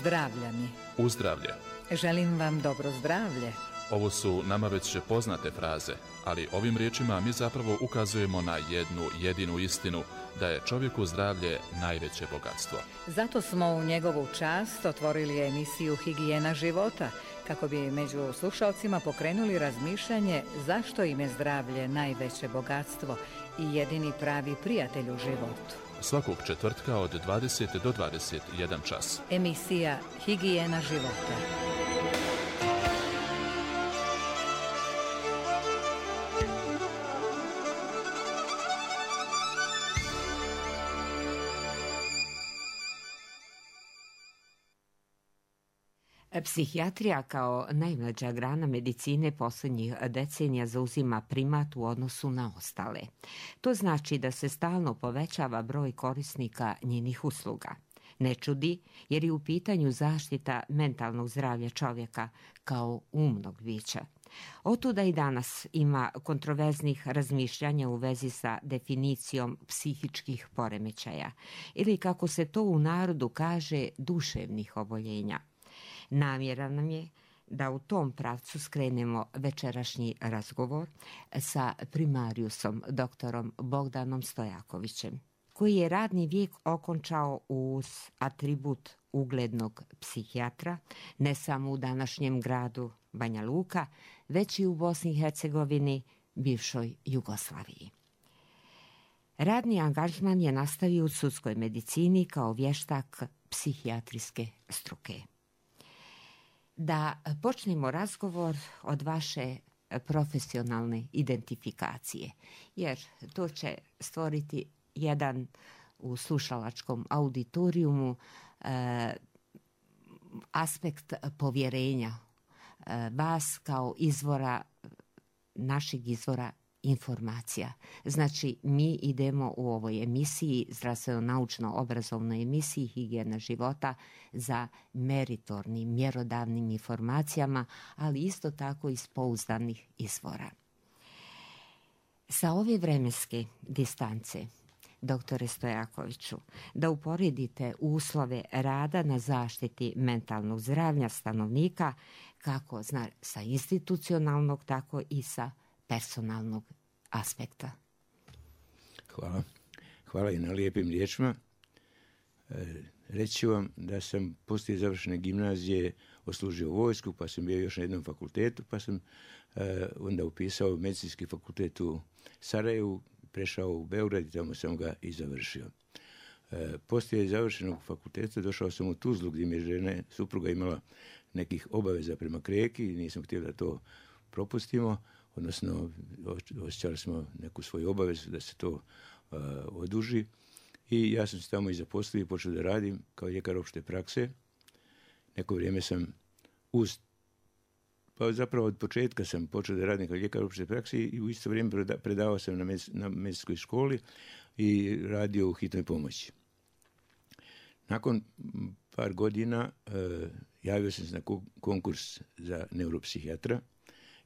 Zdravlja mi. Uzdravlje. Želim vam dobro zdravlje. Ovo su nama već poznate fraze, ali ovim riječima mi zapravo ukazujemo na jednu jedinu istinu, da je čovjeku zdravlje najveće bogatstvo. Zato smo u njegovu čast otvorili emisiju Higijena života, kako bi među slušalcima pokrenuli razmišljanje zašto im je zdravlje najveće bogatstvo i jedini pravi prijatelj u životu. Svakog četvrtka od 20 do 21 čas. Emisija Higijena života. Psihijatrija kao najmlađa grana medicine posljednjih decenija zauzima primat u odnosu na ostale. To znači da se stalno povećava broj korisnika njenih usluga. Ne čudi jer je u pitanju zaštita mentalnog zdravlja čovjeka kao umnog bića. Otuda i danas ima kontroverznih razmišljanja u vezi sa definicijom psihičkih poremećaja ili, kako se to u narodu kaže, duševnih oboljenja. Namjera nam je da u tom pravcu skrenemo večerašnji razgovor sa primariusom doktorom Bogdanom Stojakovićem, koji je radni vijek okončao uz atribut uglednog psihijatra ne samo u današnjem gradu Banja Luka, već i u Bosni i Hercegovini, bivšoj Jugoslaviji. Radni angažman je nastavio u sudskoj medicini kao vještak psihijatrijske struke. Da počnemo razgovor od vaše profesionalne identifikacije, jer to će stvoriti jedan u slušalačkom auditorijumu aspekt povjerenja vas kao izvora, našeg izvora informacija. Znači, mi idemo u ovoj emisiji, zdravstveno-naučno-obrazovnoj emisiji Higijena života, za meritornim, mjerodavnim informacijama, ali isto tako iz pouzdanih izvora. Sa ove vremenske distance, doktore Stojakoviću, da uporedite uslove rada na zaštiti mentalnog zdravlja stanovnika, kako sa institucionalnog, tako i sa personalnog aspekta. Hvala i na lijepim riječima. Reći ću vam da sam poslije završene gimnazije odslužio vojsku, pa sam bio još na jednom fakultetu, pa sam onda upisao medicinski fakultet u Sarajevu, prešao u Beograd i tamo sam ga i završio. Poslije završenog fakulteta došao sam u Tuzlu, gdje mi je supruga imala nekih obaveza prema Kreki i nisam htio da to propustimo, odnosno osjećali smo neku svoju obavezu da se to oduži i ja sam se tamo i zaposlio i počeo da radim kao ljekar opšte prakse. Neko vrijeme sam zapravo od početka sam počeo da radim kao ljekar opšte prakse i u isto vrijeme predavao sam na medicinskoj školi i radio u hitnoj pomoći. Nakon par godina javio sam se na konkurs za neuropsihijatra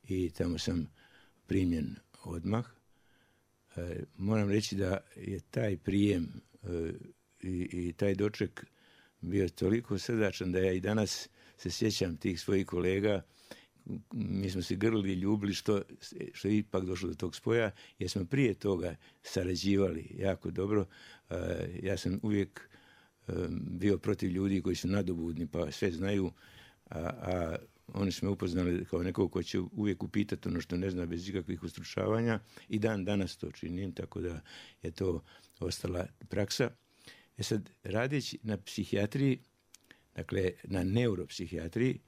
i tamo sam primljen odmah. Moram reći da je taj prijem i taj doček bio toliko srdačan da ja i danas se sjećam tih svojih kolega. Mi smo se grlili i ljubili što je ipak došlo do tog spoja, jer smo prije toga sarađivali jako dobro. Ja sam uvijek bio protiv ljudi koji su nadobudni pa sve znaju, a oni su me upoznali kao nekog ko će uvijek upitati ono što ne zna bez ikakvih ustručavanja i dan danas to činim, tako da je to ostala praksa. Sad, radeći na psihijatriji, dakle na neuropsihijatriji,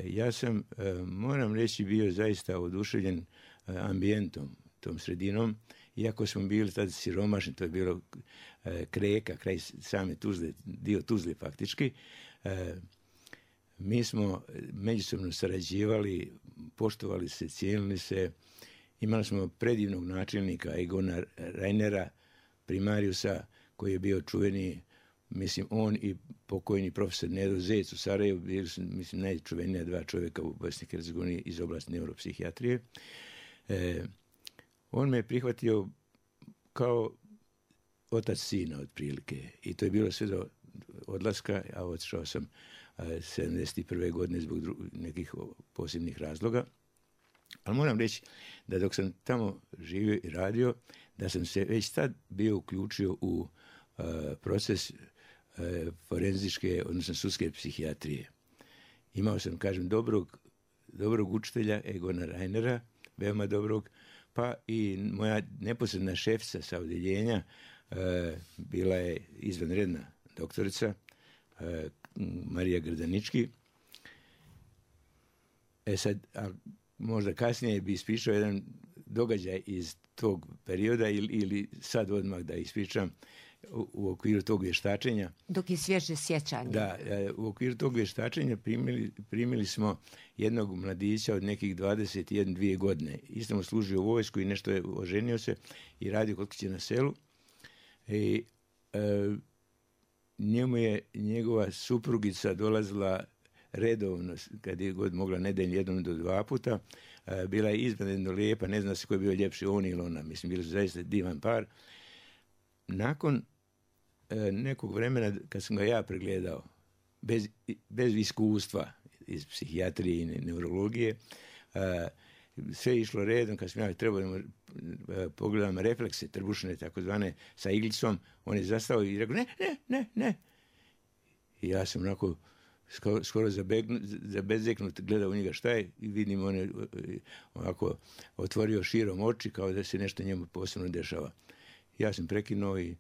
ja sam, moram reći, bio zaista oduševljen ambijentom, tom sredinom, iako smo bili tada siromašni, to je bilo Kreka, kraj same Tuzle, dio Tuzle faktički. Mi smo međusobno sarađivali, poštovali se, cijenili se, imali smo predivnog načelnika Egona Reinera, primariusa, koji je bio čuveni, mislim, on i pokojni profesor Nedo Zec u Sarajevu, bili su, mislim, najčuvenija dva čovjeka u Bosni i Hercegovini iz oblasti neuropsihijatrije. On me je prihvatio kao otac sina otprilike i to je bilo sve do odlaska, a otišao sam 1971. godine zbog nekih posebnih razloga. Ali moram reći da dok sam tamo živio i radio, da sam se već tad bio uključio u proces forenzičke, odnosno sudske psihijatrije. Imao sam, kažem, dobrog učitelja, Egona Reinera, veoma dobrog, pa i moja neposredna šefica sa odjeljenja bila je izvanredna doktorica Marija Grdanički. Sad, možda kasnije bi ispričao jedan događaj iz tog perioda ili sad odmah da ispričam u okviru tog vještačenja. Dok je svježe sjećanje. Da, u okviru tog vještačenja primili smo jednog mladića od nekih 21-2 godine. Isto mu služio u vojsku i nešto je oženio se i radio kod kuće na selu. I njemu je njegova suprugica dolazila redovno, kad je god mogla nedeljno 1 do 2 puta. Bila je izvanredno lijepa, ne zna se ko je bio ljepši, on ili ona. Mislim, bili su zaista divan par. Nakon nekog vremena, kad sam ga ja pregledao, bez iskustva iz psihijatrije i neurologije, sve je išlo redom. Kad sam ja trebao pogledam reflekse trbušne, takozvane, sa iglicom, on je zastao i rekao, ne. I ja sam onako skoro zabezeknut gledao u njega šta je i vidim on je ovako otvorio širom oči kao da se nešto njemu posebno dešava. Ja sam prekinuo i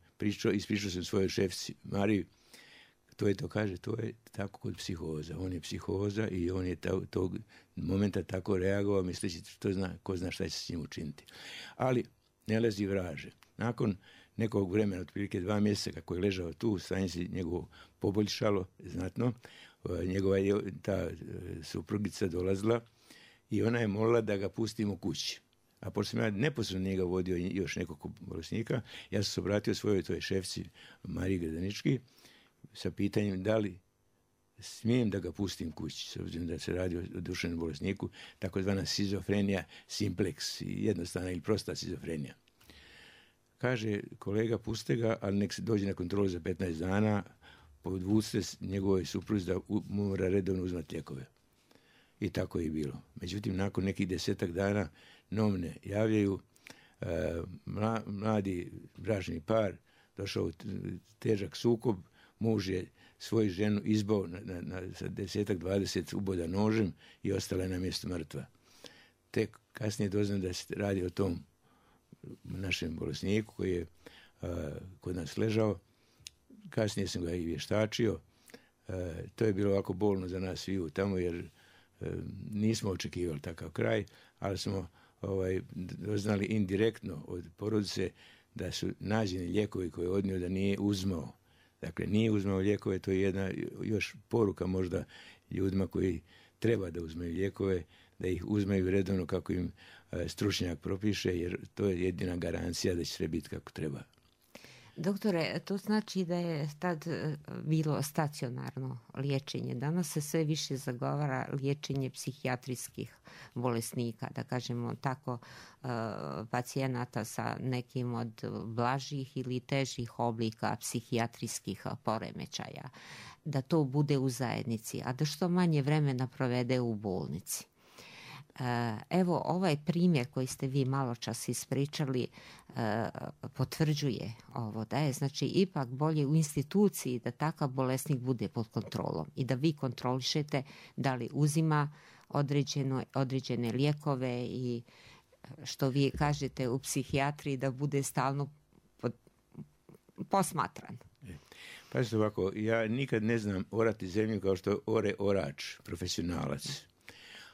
ispričao sam svojoj šefici Mariji, to je tako kod psihoza. On je psihoza i on je tog momenta tako reagovao misleći ko zna šta će se s njim učiniti. Ali ne lezi vraže. Nakon nekog vremena, otprilike 2 mjeseca kako je ležao tu, stanje se njegovo poboljšalo znatno. Njegova je ta suprugica dolazila i ona je molila da ga pustimo kući. A pošto sam ja neposredno njega vodio još nekog bolesnika, ja sam se obratio svojoj toj šefci Mariji Grdanički sa pitanjem da li smijem da ga pustim kući, s obzirom da se radi o duševnom bolesniku, takozvana šizofrenija simplex, jednostavna ili prosta šizofrenija. Kaže, kolega, puste ga, ali nek se dođe na kontrolu za 15 dana, podvucite njegovoj supruzi da mora redovno uzmati lijekove. I tako je bilo. Međutim, nakon nekih 10 dana novine javljaju, mladi bračni par došao u težak sukob, muž je svoju ženu izbao sa 10-20 uboda nožem i ostala je na mjestu mrtva. Tek kasnije doznam da se radi o tom našem bolesniku koji je kod nas ležao. Kasnije sam ga i vještačio. To je bilo ovako bolno za nas sviju tamo jer nismo očekivali takav kraj, ali smo doznali indirektno od porodice da su nađeni lijekovi koje je odnio da nije uzmao. Dakle, nije uzmao lijekove, to je jedna još poruka možda ljudima koji treba da uzmeju lijekove, da ih uzmeju redovno kako im stručnjak propiše, jer to je jedina garancija da će sve biti kako treba. Doktore, to znači da je tad bilo stacionarno liječenje. Danas se sve više zagovara liječenje psihijatrijskih bolesnika, da kažemo tako, pacijenata sa nekim od blažih ili težih oblika psihijatrijskih poremećaja. Da to bude u zajednici, a da što manje vremena provede u bolnici. Evo, ovaj primjer koji ste vi malo čas ispričali potvrđuje ovo, da je znači ipak bolje u instituciji da takav bolesnik bude pod kontrolom i da vi kontrolišete da li uzima određene lijekove i što vi kažete u psihijatriji da bude stalno posmatran. Pazite ovako, ja nikad ne znam orati zemlju kao što ore orač, profesionalac.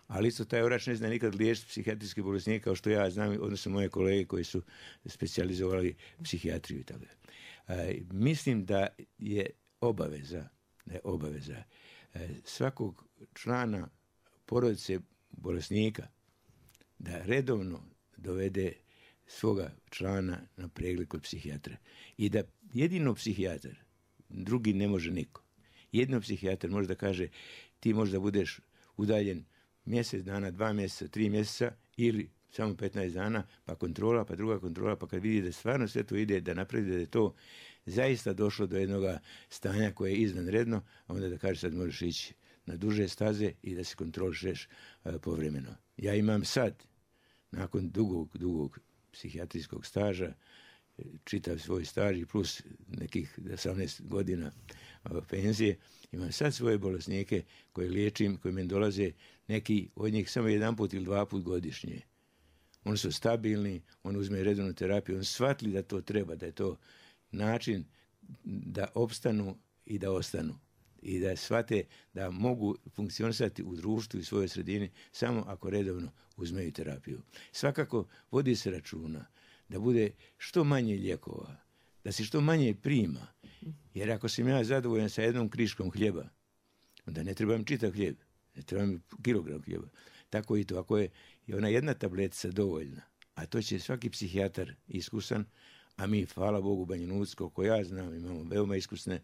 Ali isto taj orač ne zna nikad liječiti psihijatrijski bolesnik kao što ja znam, odnosno moje kolege koji su specijalizovali psihijatriju i tako. Mislim da je obaveza svakog člana porodice bolesnika da redovno dovede svoga člana na pregled kod psihijatra. I da jedino psihijatar, drugi ne može niko. Jedino psihijatar može da kaže ti možda budeš udaljen mjesec dana, 2 mjeseca, 3 mjeseca ili samo 15 dana, pa kontrola, pa druga kontrola, pa kad vidi da stvarno sve to ide, da napravi da je to zaista došlo do jednog stanja koje je izvanredno, a onda da kaže sad možeš ići na duže staze i da se kontrolišeš povremeno. Ja imam sad, nakon dugog psihijatrijskog staža, čitav svoj staž i plus nekih 18 godina penzije, imam sad svoje bolesnike koje liječim, koji meni dolaze, neki od njih samo 1 put ili 2 put godišnje. Oni su stabilni, oni uzmeju redovnu terapiju, oni shvatili da to treba, da je to način da opstanu i da ostanu. I da shvate da mogu funkcionisati u društvu i svojoj sredini samo ako redovno uzmeju terapiju. Svakako vodi se računa da bude što manje lijekova, da se što manje prima. Jer ako sam ja zadovoljan sa 1 kriškom hljeba, onda ne trebam čitav hljeb, ne trebam kilogram hljeba. Tako i to, ako je ona 1 tabletica dovoljna, a to će svaki psihijatar iskusan, a mi, hvala Bogu, u Banja Luci, koliko ja znam, imamo veoma iskusne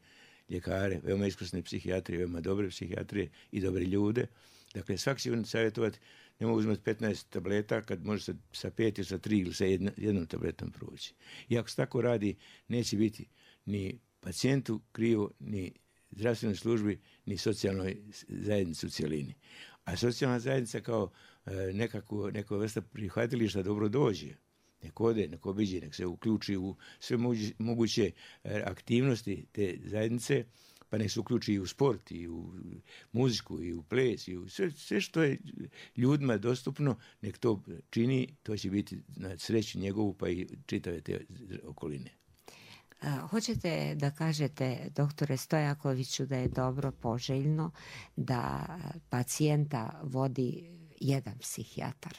ljekare, veoma iskusne psihijatrije, veoma dobre psihijatrije i dobre ljude. Dakle, svaki će savjetovati, ne mogu uzmati 15 tableta kad može sa 5 ili sa 3 ili sa 1 tabletom proći. I ako se tako radi, neće biti ni pacijentu krivo, ni zdravstvenoj službi, ni socijalnoj zajednici u cjelini. A socijalna zajednica kao neka vrsta prihvatilišta dobro dođe. Nek ode, nek obiđe, nek se uključi u sve moguće aktivnosti te zajednice, pa nek se uključi i u sport, i u muziku, i u ples, i u sve što je ljudima dostupno, nek to čini, to će biti na sreću njegovu, pa i čitave te okoline. Hoćete da kažete, doktore Stojakoviću, da je dobro, poželjno da pacijenta vodi jedan psihijatar,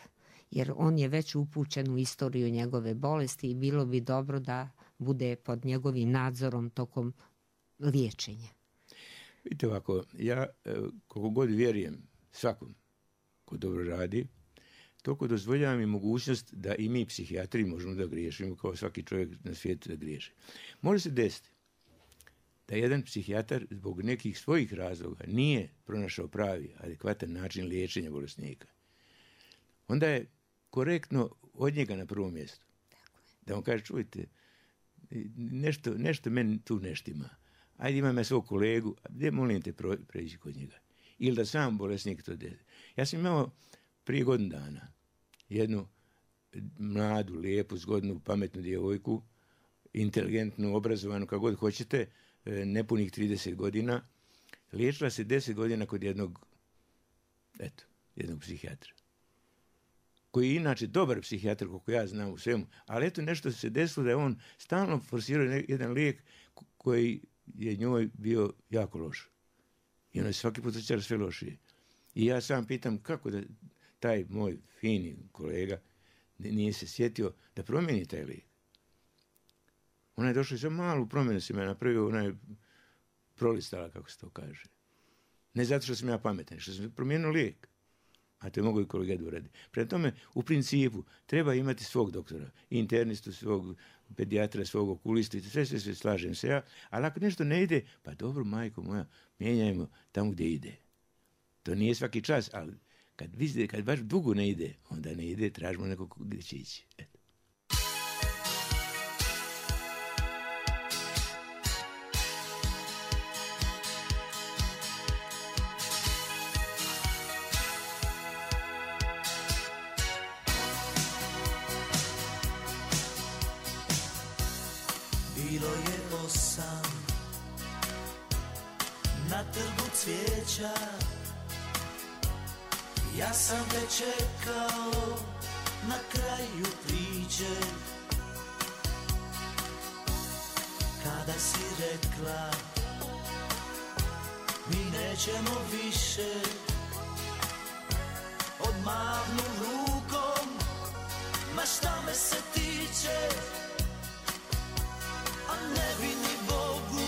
jer on je već upućen u istoriju njegove bolesti i bilo bi dobro da bude pod njegovim nadzorom tokom liječenja. Vidite ovako, ja koliko god vjerujem svakom ko dobro radi, toliko dozvoljavam i mogućnost da i mi psihijatri možemo da griješimo kao svaki čovjek na svijetu da griješi. Može se desiti da jedan psihijatar zbog nekih svojih razloga nije pronašao pravi, adekvatan način liječenja bolesnika. Onda je korektno od njega na prvom mjestu. Da on kaže, čujte, nešto meni tu neštima. Ajde, imam ja svog kolegu, gdje molim te preći kod njega. Ili da sam bolesnik to desi. Ja sam imao prije godinu dana jednu mladu, lijepu, zgodnu, pametnu djevojku, inteligentnu, obrazovanu, kako god hoćete, nepunih 30 godina. Liječila se 10 godina kod jednog psihijatra. Koji je inače dobar psihijatar, koliko ja znam u svemu, ali eto nešto se desilo da je on stalno forsirao jedan lijek koji je njoj bio jako loš. I ono je svaki put osjećala sve lošije. I ja sam pitam kako da taj moj fini kolega nije se sjetio da promijeni taj lijek. Ona je došla i za malu promjenu se me napravio, ona je prolistala, kako se to kaže. Ne zato što sam ja pametan, što sam promijenio lijek. A to je mogu i kolega da uradi. Prema tome, u principu, treba imati svog doktora, internistu, svog pedijatra, svog okulistu, sve slažem se ja, ali ako nešto ne ide, pa dobro, majko moja, mijenjajmo tamo gdje ide. To nije svaki čas, ali kad baš dugo ne ide, onda ne ide, tražimo nekog gdje će ići. Eto. Bilo je 8 na trgu cvijeća, ja sam te čekao na kraju priče. Kada si rekla mi nećemo više, odmahnu rukom, ma šta me se tiče. A ne bi ni Bogu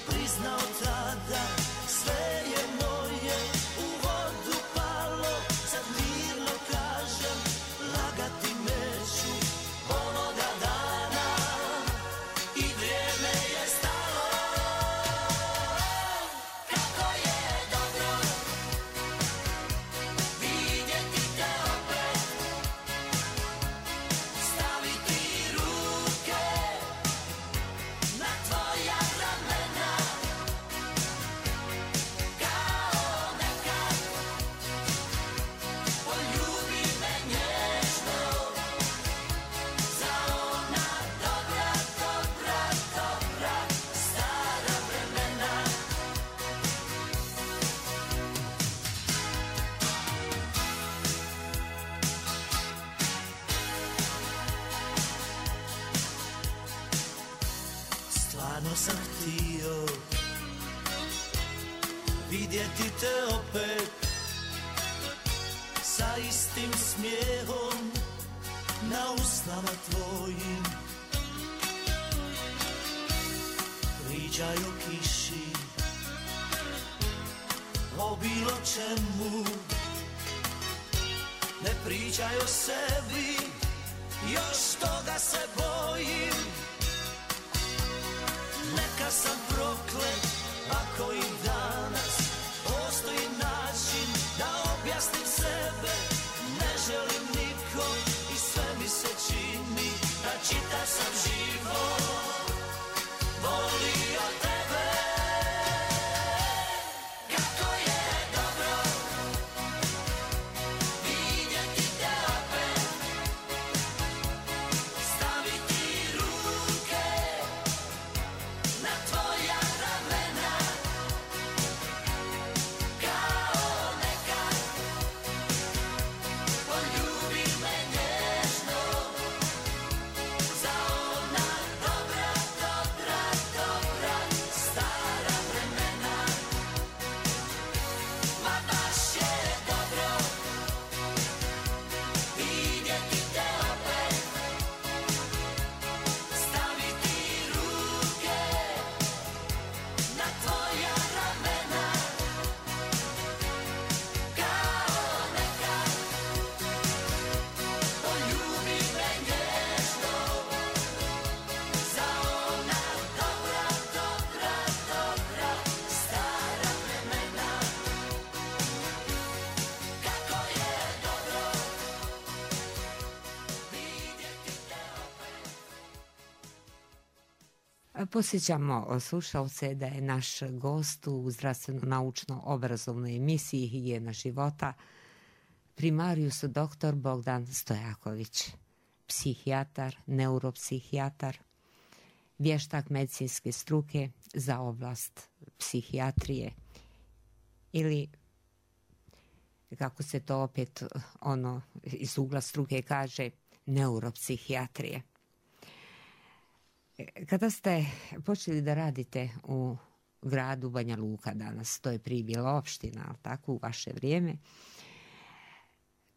priznao tada, sve je moje u vodu palo. Sad mirno kažem, lagati neću onoga dana i vrijeme je stalo. Kako je dobro vidjeti te opet, Davno sam htio vidjeti te opet sa istim smijehom na usnama tvojim. Pričaj o kiši, o bilo čemu, ne pričaj o sebi, još toga se bojim. Neka sam proklet ako i danas postoji način da objasnim sebe. Ne želim nikom i sve mi se čini da čitav sam život volio tebe. Kako je dobro vidjeti te opet, staviti ruke na tvoja ramena, kao nekad poljubi me nježno za ona dobra, dobra, dobra stara vremena. Ma baš je dobro vidjeti te opet, staviti ruke na tvoja ramena, kao nekad poljubi me nježno za ona dobra, dobra, dobra stara vremena. Kako je dobro vidjeti te opet. Posjećamo slušalce da je naš gost u zdravstveno-naučno-obrazovnoj emisiji Higijena života primarius dr. Bogdan Stojaković, psihijatar, neuropsihijatar, vještak medicinske struke za oblast psihijatrije ili, kako se to opet iz ugla struke kaže, neuropsihijatrije. Kada ste počeli da radite u gradu Banja Luka danas, to je prije bila opština, ali tako, u vaše vrijeme,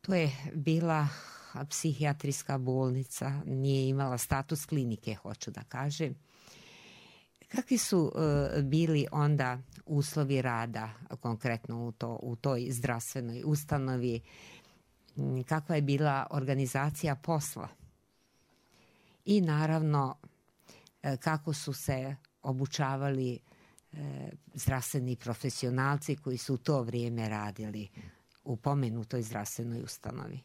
to je bila psihijatrijska bolnica, nije imala status klinike, hoću da kažem. Kakvi su bili onda uslovi rada, konkretno u toj zdravstvenoj ustanovi? Kakva je bila organizacija posla? I naravno, kako su se obučavali zdravstveni profesionalci koji su u to vrijeme radili u pomenutoj zdravstvenoj ustanovi?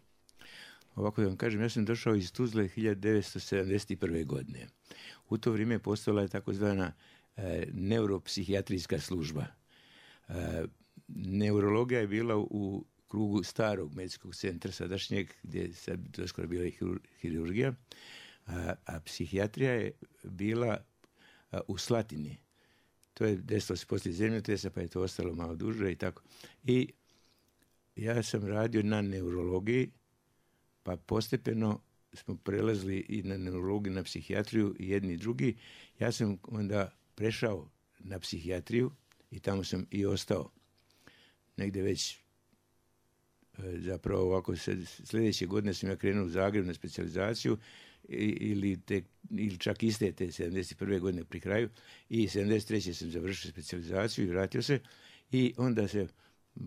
Ovako da vam kažem, ja sam došao iz Tuzle 1971. godine. U to vrijeme postojala je takozvana neuropsihijatrijska služba. Neurologija je bila u krugu starog medicinskog centra sadašnjeg, gdje je sad doskoro bila i hirurgija, a psihijatrija je bila u Slatini. To je desilo se poslije zemljotresa, pa je to ostalo malo duže i tako. I ja sam radio na neurologiji, pa postepeno smo prelazili i na neurologiju, na psihijatriju, i jedni i drugi. Ja sam onda prešao na psihijatriju i tamo sam i ostao. Negdje već zapravo ovako sljedeće godine sam ja krenuo u Zagreb na specijalizaciju ili čak iste te 71. godine pri kraju, i 73. sam završio specijalizaciju i vratio se, i onda se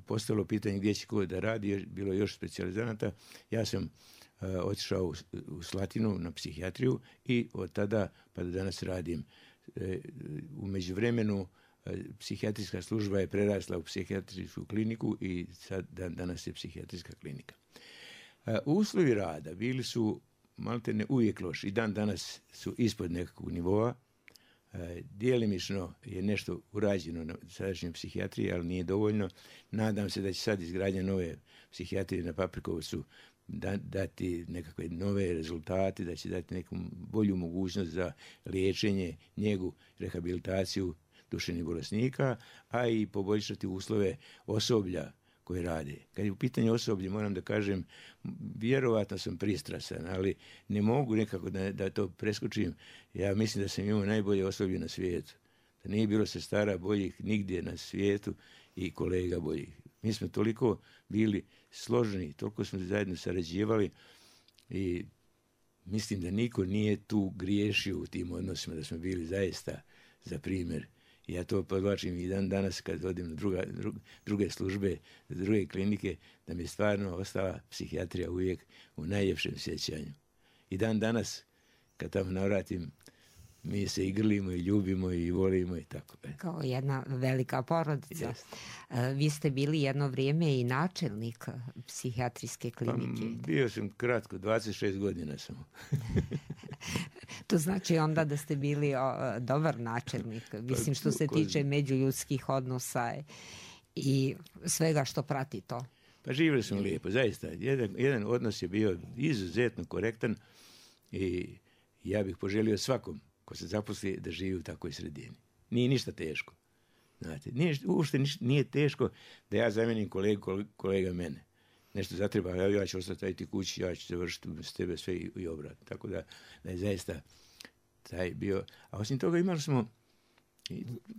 postalo pitanje gdje će ko da radi, bilo još specijalizanata. Ja sam otišao u Slatinu na psihijatriju i od tada pa do danas radim. U međuvremenu psihijatrijska služba je prerasla u psihijatrijsku kliniku i sad danas je psihijatrijska klinika. Uslovi rada bili su maltene uvijek loši i dan danas su ispod nekakvog nivoa. Djelimično je nešto urađeno na sadašnjoj psihijatriji, ali nije dovoljno. Nadam se da će sad izgradnja nove psihijatrije na Paprikovcu dati nekakve nove rezultate, da će dati neku bolju mogućnost za liječenje, njegu, rehabilitaciju duševnih bolesnika, a i poboljšati uslove osoblja koje rade. Kad je u pitanju osoblje, moram da kažem, vjerovatno sam pristrasan, ali ne mogu nekako da to preskočim. Ja mislim da sam imao najbolje osoblje na svijetu. Da nije bilo sestara boljih nigdje na svijetu i kolega boljih. Mi smo toliko bili složeni, toliko smo zajedno sarađivali i mislim da niko nije tu griješio u tim odnosima, da smo bili zaista za primjer. I ja to podvlačim i dan danas kad odim na druge službe, druge klinike, da mi je stvarno ostala psihijatrija uvijek u najljepšem sjećanju. I dan danas, kad tamo navratim, mi se i grlimo i ljubimo i volimo i tako. Kao jedna velika porodica. Yes. Vi ste bili jedno vrijeme i načelnik psihijatrijske klinike. Pa, bio sam kratko, 26 godina sam. To znači onda da ste bili dobar načelnik. Mislim što se tiče međuljudskih odnosa i svega što prati to. Pa živjeli smo lijepo, zaista. Jedan odnos je bio izuzetno korektan i ja bih poželio svakom ko se zaposli da živi u takvoj sredini. Nije ništa teško. Znate, uopšte nije teško da ja zamenim kolega mene. Nešto zatreba, ja ću ostati kući, ja ću završiti s tebe sve i obrat. Tako da je zaista taj bio. A osim toga imali smo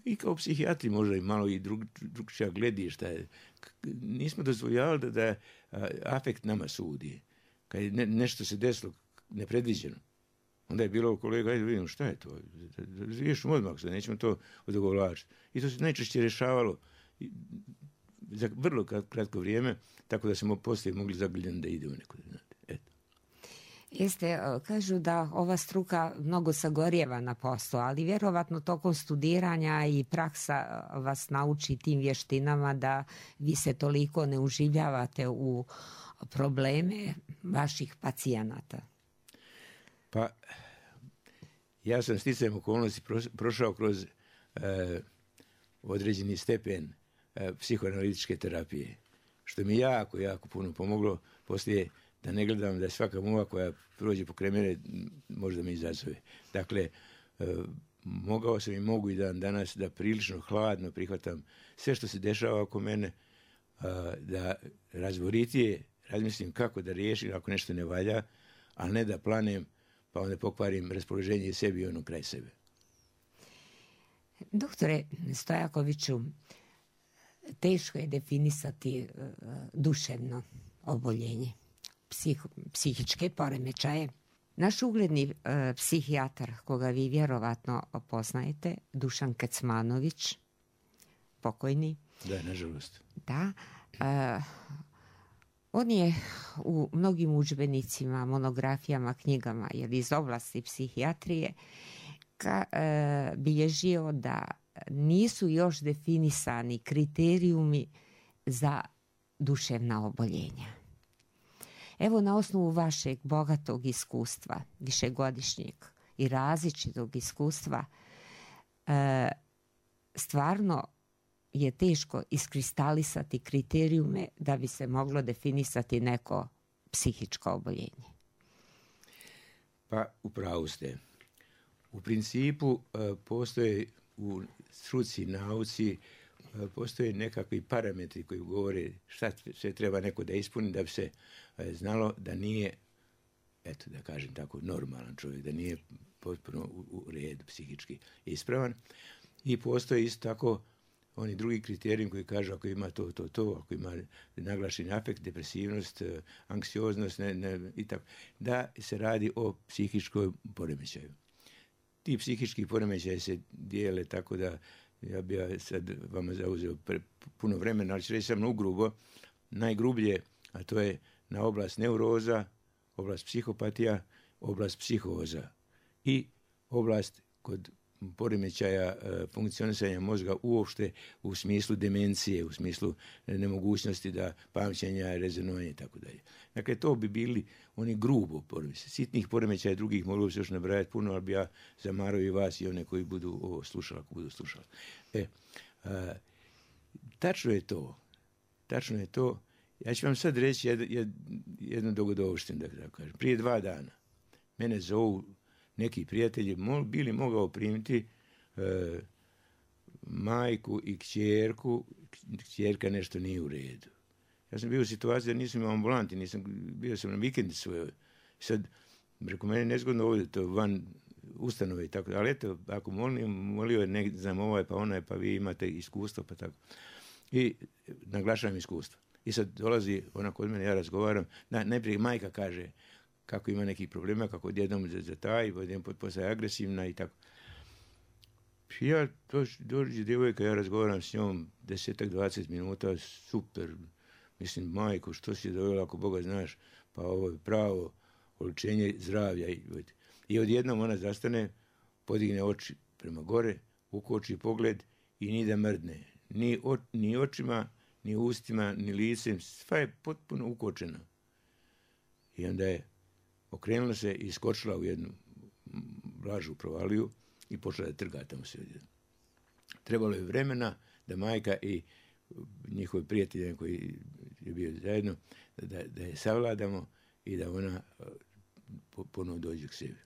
i kao psihijatri možda i malo i drugčija gledišta. Nismo dozvoljavali da afekt nama sudi. Kad je nešto se desilo nepredviđeno, onda je bilo kolega, ajde vidimo šta je to. Riješimo odmah, sad nećemo to odogovlačiti. I to se najčešće rješavalo za vrlo kratko vrijeme, tako da smo poslije mogli zagrljeni da idemo nekud. Eto. Jeste, kažu da ova struka mnogo sagorijeva na poslu, ali vjerovatno tokom studiranja i praksa vas nauči tim vještinama da vi se toliko ne uživljavate u probleme vaših pacijenata. Pa, ja sam sticajem okolnosti prošao kroz određeni stepen psihoanalitičke terapije, što mi jako puno pomoglo poslije da ne gledam da je svaka muva koja prođe pokraj mene možda me izazove. Dakle, mogao sam i mogu i danas da prilično hladno prihvatam sve što se dešava oko mene, da razboritije razmislim kako da riješim ako nešto ne valja, a ne da planem pa onda pokvarim raspoloženje i sebi i ono kraj sebe. Doktore Stojakoviću, teško je definisati duševno oboljenje, psihičke poremećaje. Naš ugledni psihijatar, koga vi vjerovatno poznajete, Dušan Kecmanović, pokojni. Da, nažalost. Da. On je u mnogim udžbenicima, monografijama, knjigama iz oblasti psihijatrije bilježio da nisu još definisani kriterijumi za duševna oboljenja. Evo, na osnovu vašeg bogatog iskustva, višegodišnjeg i različitog iskustva, stvarno je teško iskristalisati kriterijume da bi se moglo definisati neko psihičko oboljenje. Pa, upravo ste. U principu postoje u struci, nauci, postoje nekakvi parametri koji govore šta sve treba neko da ispuni da bi se znalo da nije, eto da kažem tako, normalan čovjek, da nije potpuno u redu psihički ispravan. I postoje isto tako oni drugi kriteriji koji kažu ako ima to, ako ima naglašeni afekt, depresivnost, anksioznost i tako, da se radi o psihičkoj poremećaju. Ti psihički poremećaji se dijele tako da ja bi sad vama zauzeo puno vremena, ali ću reći samo ugrubo, najgrublje, a to je na oblast neuroza, oblast psihopatija, oblast psihoza i oblast kod poremećaja funkcionisanja mozga uopšte u smislu demencije, u smislu nemogućnosti da pamćenja, rezonovanja i tako dalje. Dakle, to bi bili oni grubo poremećaji. Sitnih poremećaja drugih moglo bi se još nabrajati puno, ali bi ja zamarao i vas i one koji budu ovo slušali, ako budu slušali. Tačno je to. Ja ću vam sad reći jednu dogodovštinu, da kažem. Prije 2 dana mene zovu neki prijatelji, bili mogao primiti majku i kćerku, kćerka nešto nije u redu. Ja sam bio u situaciji da nisam imao ambulanti, bio sam na vikendi svojoj. Sad, preko mene nezgodno ovdje, to van ustanove i tako, ali eto, ako molio je, ne znam, ovaj pa onaj, pa vi imate iskustvo, pa tako. I naglašavam iskustvo. I sad dolazi ona kod mene, ja razgovaram, najprije majka kaže kako ima nekih problema, kako odjednom zataji, odjednom postaje agresivna i tako. Ja, dođe djevojka, ja razgovaram s njom 10-20 minuta, super, mislim, majko, što si dovela, ako Boga znaš, pa ovo je pravo oličenje zdravlja. I odjednom ona zastane, podigne oči prema gore, ukoči pogled i ni da mrdne. Ni očima, ni ustima, ni licem, sva je potpuno ukočena. I onda je okrenula se i skočila u jednu blažu provaliju i počela da trga tamo se. Trebalo je vremena da majka i njihovi prijatelji koji je bio zajedno, da je savladamo i da ona ponovo dođe k sebi.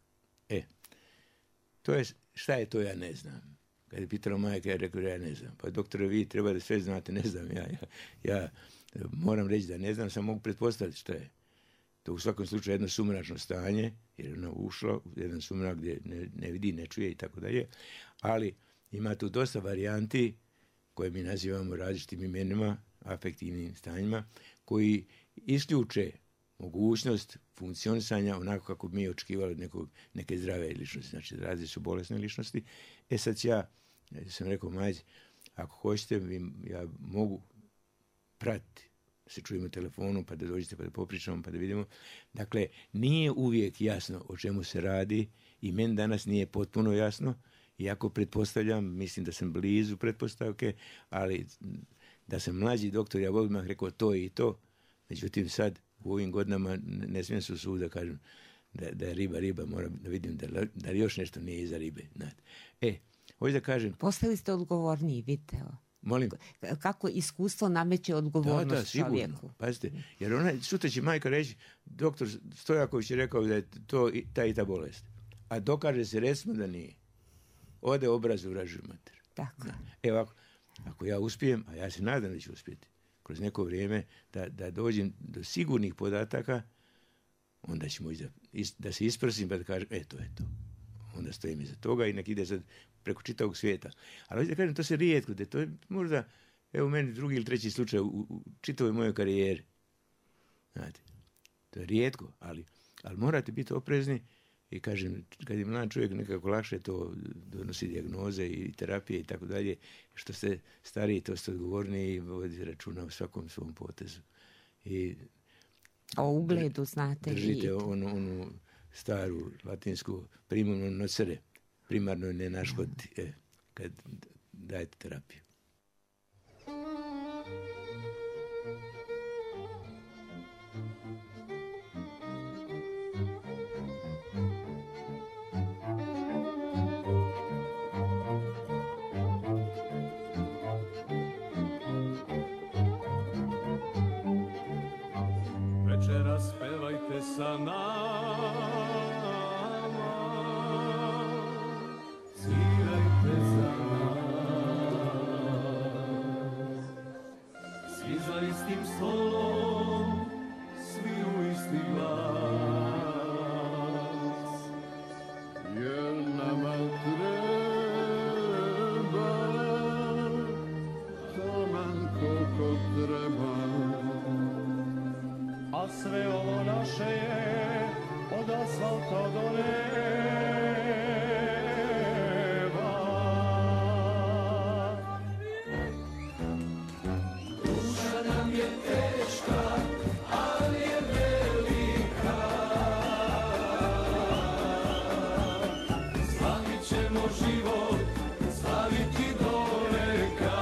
Šta je to, ja ne znam. Kad je pitala majka, ja rekao, ja ne znam. Pa doktore, vi treba da sve znate, ne znam. Ja moram reći da ne znam, sam mogu pretpostaviti šta je. To u svakom slučaju jedno sumračno stanje, jer ona ušla u jedan sumrak gdje ne vidi, ne čuje i tako dalje, ali ima tu dosta varijanti koje mi nazivamo različitim imenima, afektivnim stanjima, koji isključe mogućnost funkcionisanja onako kako bi mi očekivali neke zdrave ličnosti, znači različite su bolesne ličnosti. Sad ja sam rekao majci, ako hoćete, ja mogu pratiti, se čujemo telefonu, pa da dođete, pa da popričamo, pa da vidimo. Dakle, nije uvijek jasno o čemu se radi i meni danas nije potpuno jasno, iako pretpostavljam, mislim da sam blizu pretpostavke, ali da sam mlađi doktor, ja bih odmah rekao to i to. Međutim, sad u ovim godinama ne smijem se usuditi da kažem da je riba, moram da vidim da još nešto nije iza ribe. Hoću da kažem... Postali ste odgovorniji, vidite. Molim? Kako iskustvo nameće odgovornost sigurno. Čovjeku. Pazite, jer sutra će majka reći, doktor Stojaković je rekao da je to ta i ta bolest. A dokaže se recimo da nije. Ode obraz u vražju mater. Tako. Evo, ako ja uspijem, a ja se nadam da ću uspjeti, kroz neko vrijeme da dođem do sigurnih podataka, onda ćemo da se isprsim pa da kažem, to je to. Onda stojim iza toga i nek ide sad preko čitavog svijeta. Ali da kažem, to se rijetko, da to je možda, evo meni drugi ili treći slučaj u čitavoj mojoj karijeri. Znate, to je rijetko, ali morate biti oprezni i kažem, kad je mlad čovjek nekako lakše to donosi dijagnoze i terapije i tako dalje, što ste stariji, to ste odgovorni i vodite računa u svakom svom potezu. I o ugledu znate. Držite onu staru latinsku primum non nocere, primarno ne naškoditi kad dajete terapiju. Večeras pevajte sa nama, svirajte za nas, svi za istim stolom, svi u isti glas, jer nama treba taman koliko treba. A sve ovo naše je od asfalta do neba. Duša nam je teška, ali je velika. Slavit ćemo život, slaviti do veka.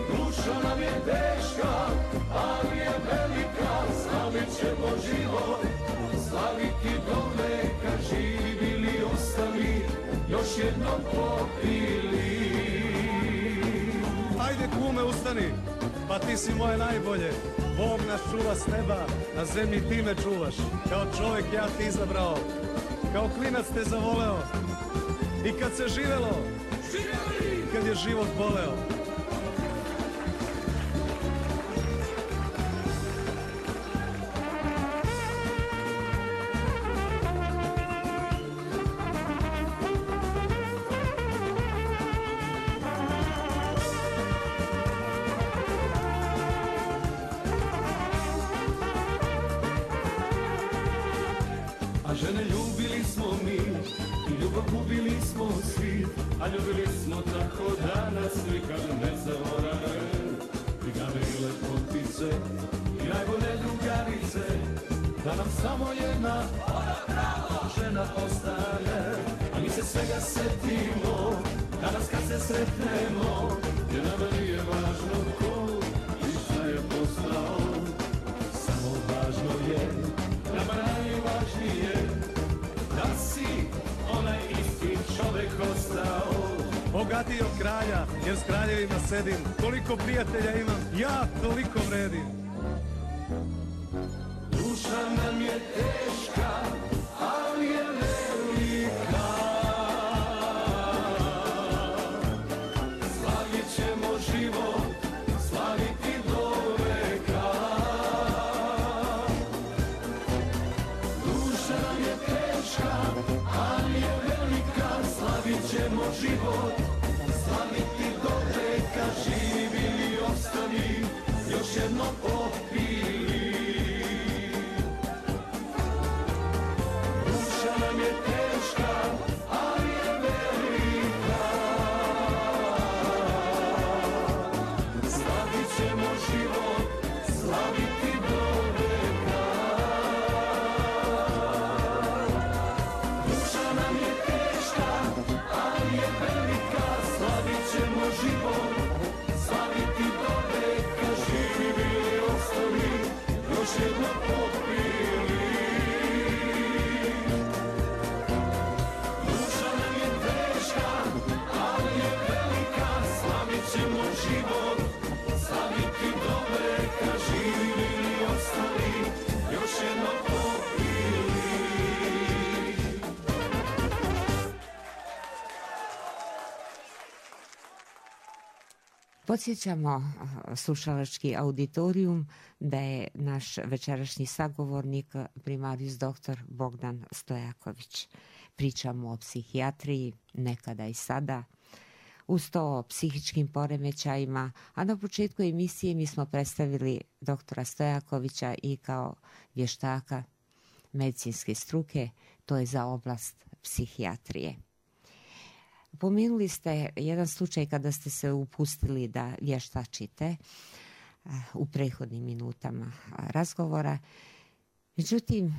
Duša nam je teška, ali je velika, slavit ćemo život, slaviti do veka, živi bili ostali, još jednom popili. Ajde kume, ustani, pa ti si moje najbolje, Bog nas čuva s neba, na zemlji ti me čuvaš, kao čovjek ja ti izabrao, kao klinac te zavoleo, i kad se živelo, i kad je život boleo. žene ljubili smo mi i ljubav gubili smo svi, a ljubili smo tako da nas nikad ne zaborave. Brigade i lepotice i najbolje drugarice, da nam samo jedna žena ostane. A mi se svega setimo danas kad se sretnemo, jer nama nije važno ko i šta je postao. Samo važno je, nama najvažnije, da si onaj isti čovek ostao. Bogatiji od kralja, jer s kraljevima sedim. Koliko prijatelja imam, ja toliko vredim. Duša nam je teška, ali je velika. Slavit ćemo život, slaviti do veka. Duša nam je teška, ali je velika. Slavit ćemo život, slaviti do veka. Živi i ostali, još jedno popili. Podsjećamo slušalački auditorijum da je naš večerašnji sagovornik primarijus dr. Bogdan Stojaković. Pričamo o psihijatriji, nekada i sada, uz to o psihičkim poremećajima, a na početku emisije mi smo predstavili doktora Stojakovića i kao vještaka medicinske struke, to je za oblast psihijatrije. Pomenuli ste jedan slučaj kada ste se upustili da vještačite u prethodnim minutama razgovora. Međutim,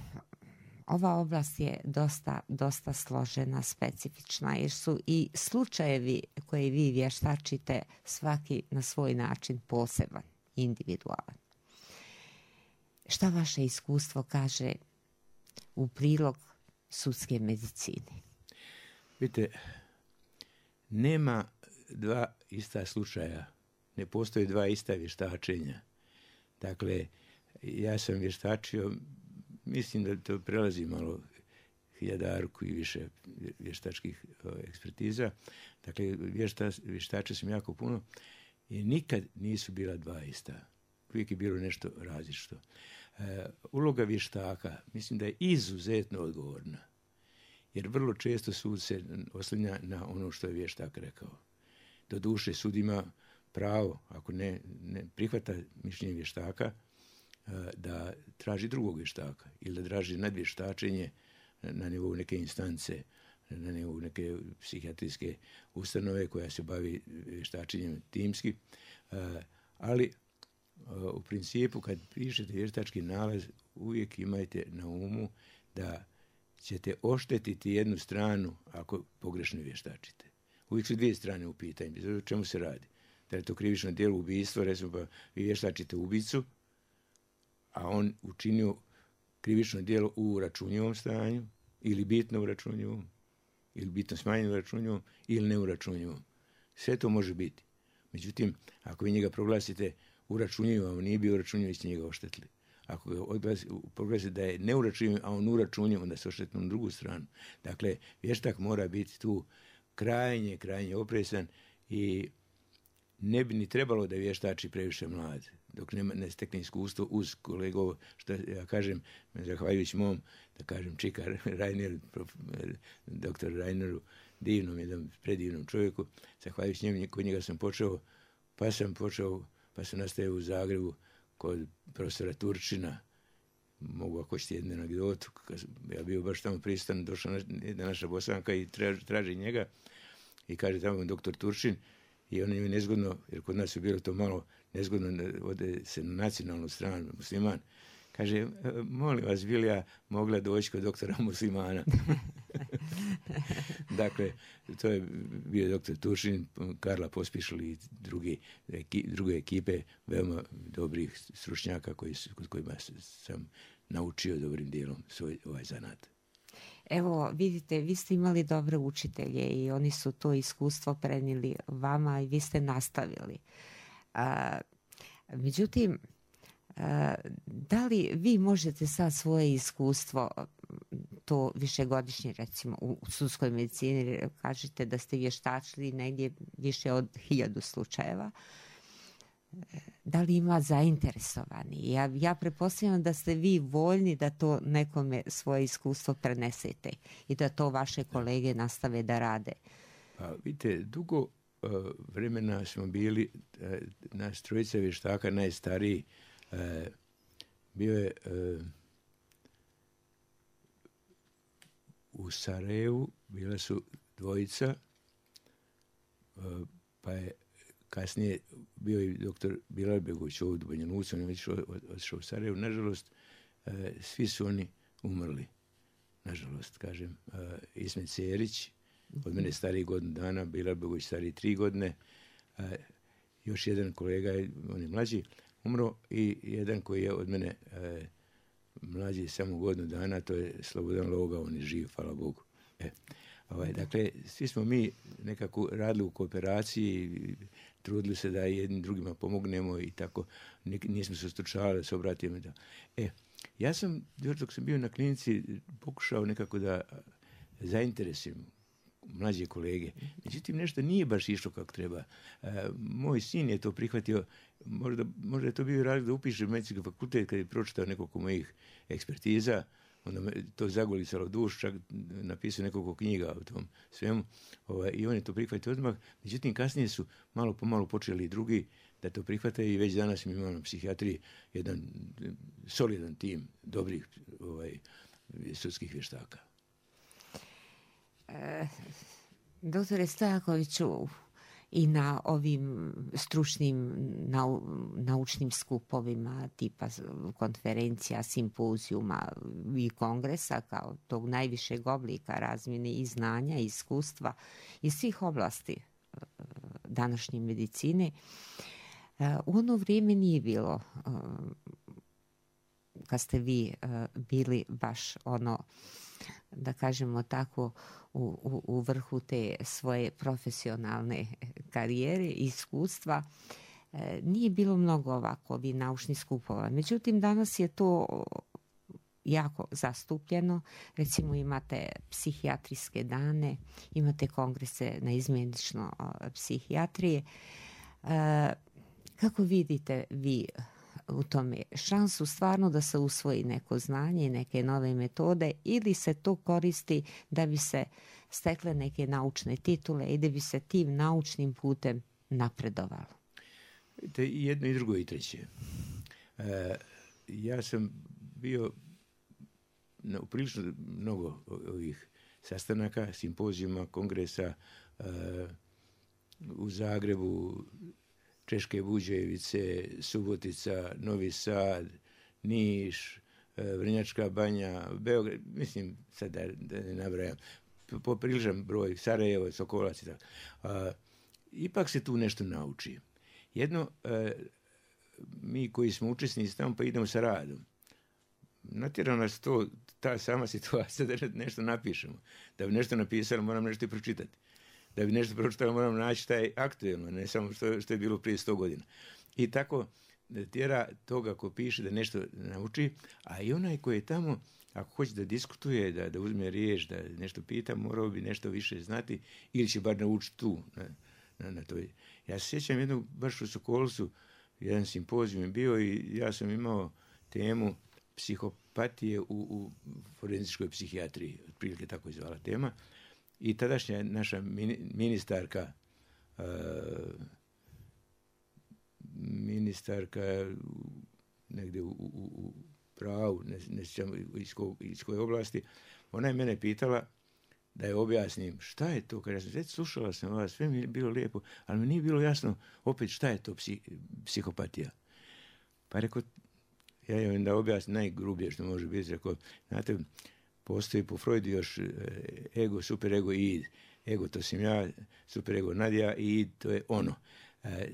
ova oblast je dosta složena, specifična, jer su i slučajevi koje vi vještačite svaki na svoj način poseban, individualan. Šta vaše iskustvo kaže u prilog sudske medicine? Vidite, nema dva ista slučaja, ne postoje dva ista vještačenja. Dakle, ja sam vještačio, mislim da to prelazi malo 1000 i više vještačkih ekspertiza. Dakle, vještačio sam jako puno i nikad nisu bila dva ista. Uvijek je bilo nešto različito. Uloga vještaka, mislim da je izuzetno odgovorna. Jer vrlo često sud se oslanja na ono što je vještak rekao. Doduše, sud ima pravo, ako ne prihvata mišljenje vještaka, da traži drugog vještaka ili da traži nadvještačenje na nivou neke instance, na nivou neke psihijatrijske ustanove koja se bavi vještačenjem timski. Ali u principu kad pišete vještački nalaz uvijek imajte na umu da ćete oštetiti jednu stranu ako pogrešno vještačite. Uvijek su dvije strane u pitanju. O čemu se radi? Da je to krivično djelo ubistvo, recimo pa vi vještačite ubicu, a on učinio krivično djelo u uračunjivom stanju, ili bitno uračunjivom, ili bitno smanjeno uračunjivom, ili neuračunjivom. Sve to može biti. Međutim, ako vi njega proglasite uračunjivom, a on nije bio uračunjiv, vi ste njega oštetili. Ako ga proglasite da je neuračunjiv, a on uračunjiv, onda se oštetili na drugu stranu. Dakle, vještak mora biti tu krajnje oprezan i ne bi ni trebalo da vještači previše mlad, dok ne stekne iskustvo uz kolegov, što ja kažem, zahvaljujući mom, da kažem, čika Rainer, doktor Raineru, divnom, jednom predivnom čovjeku, zahvaljujući njemu, kod njega sam počeo, pa sam nastavio u Zagrebu kod profesora Turčina, mogu ako ćete jednu anegdotu, ja bio baš tamo prisutan, došla jedna naša Bosanka i traži njega i kaže tamo doktor Turčin i on je nezgodno, jer kod nas je bilo to malo nezgodno, ode se na nacionalnu stranu, musliman. Kaže, molim vas, bi li ja mogla doći kod doktora muslimana? Dakle, to je bio doktor Turčin, Karla Pospišil i druge ekipe, veoma dobrih stručnjaka kod kojima sam naučio dobrim dijelom ovaj zanat. Evo, vidite, vi ste imali dobre učitelje i oni su to iskustvo prenijeli vama i vi ste nastavili. Međutim, da li vi možete sad svoje iskustvo, to višegodišnje recimo u sudskoj medicini, kažete da ste vještačili negdje više od 1000 slučajeva, da li ima zainteresovani? Ja pretpostavljam da ste vi voljni da to nekome svoje iskustvo prenesete i da to vaše kolege nastave da rade. Pa vidite, dugo vremena smo bili, nas trojica vještaka, najstariji, bio je u Sarajevu, bila su dvojica, pa je kasnije bio i doktor Bilalbegović ovdje u Banja Luci, on je već otišao u Sarajevu. Nažalost, svi su oni umrli. Nažalost, kažem, Ismet Cerić, od mene stariji godinu dana, Bilalbegović stariji 3 godine, još jedan kolega, on je mlađi, umro i jedan koji je od mene mlađi samo godinu dana, to je Slobodan Loga, on je živ, hvala Bogu. Dakle, svi smo mi nekako radili u kooperaciji, trudili se da jednim drugima pomognemo i tako, nismo se stručavali da se obratimo. Ja sam, još dok sam bio na klinici, pokušao nekako da zainteresujem mlađe kolege. Međutim, nešto nije baš išlo kako treba. Moj sin je to prihvatio, možda je to bio razlog da upiše medicinski fakultet kad je pročitao nekoliko mojih ekspertiza, onda me to zagolicalo duš, čak napisao nekoliko knjiga o tom svemu, i on je to prihvatio odmah. Međutim, kasnije su malo po malo počeli i drugi da to prihvate i već danas mi imamo na psihijatriji jedan solidan tim dobrih sudskih vještaka. Doktore Stojakoviću, i na ovim stručnim naučnim skupovima tipa konferencija, simpozijuma i kongresa kao tog najvišeg oblika razmjene i znanja i iskustva iz svih oblasti današnje medicine, u ono vrijeme nije bilo, kad ste vi bili baš ono, da kažemo tako, u vrhu te svoje profesionalne karijere i iskustva, nije bilo mnogo ovako naučnih skupova. Međutim, danas je to jako zastupljeno. Recimo imate psihijatrijske dane, imate kongrese na izmjenično psihijatrije. Kako vidite vi u tome šansu stvarno da se usvoji neko znanje i neke nove metode, ili se to koristi da bi se stekle neke naučne titule i da bi se tim naučnim putem napredovalo? I jedno i drugo i treće. Ja sam bio na prilično mnogo ovih sastanaka, simpozijuma, kongresa u Zagrebu, Češke Buđevice, Subotica, Novi Sad, Niš, Vrnjačka Banja, Beograd, mislim sad da ne nabrajam, popriličan broj, Sarajevo, Sokolac i tako. Ipak se tu nešto nauči. Jedno, mi koji smo učesnici tamo pa idemo sa radom. Natjerao nas to, ta sama situacija da nešto napišemo. Da bi nešto napisali, moram nešto i pročitati. Da bi nešto pročitali, moram naći taj aktuelno, ne samo što je bilo prije 100 godina. I tako tjera toga ko piše da nešto nauči, a i onaj koji je tamo, ako hoće da diskutuje, da uzme riječ, da nešto pita, morao bi nešto više znati ili će bar naučiti tu na toj. Ja se sjećam jednog, baš u Sokolcu, jedan simpozijum je bio i ja sam imao temu psihopatije u forenzičkoj psihijatriji, otprilike tako je zvala tema. I tadašnja naša ministarka negdje u pravu, ne sjećam iz koje oblasti, ona je mene pitala da je objasnim šta je to, kad ja sam već slušala sam vas, sve mi je bilo lijepo, ali mi nije bilo jasno opet šta je to psihopatija. Pa rekao, ja je onda objasnim najgrublje što može biti, rekao, znate, postoji po Freudu još ego, superego i id. Ego to sam ja, superego Nadja i id to je ono.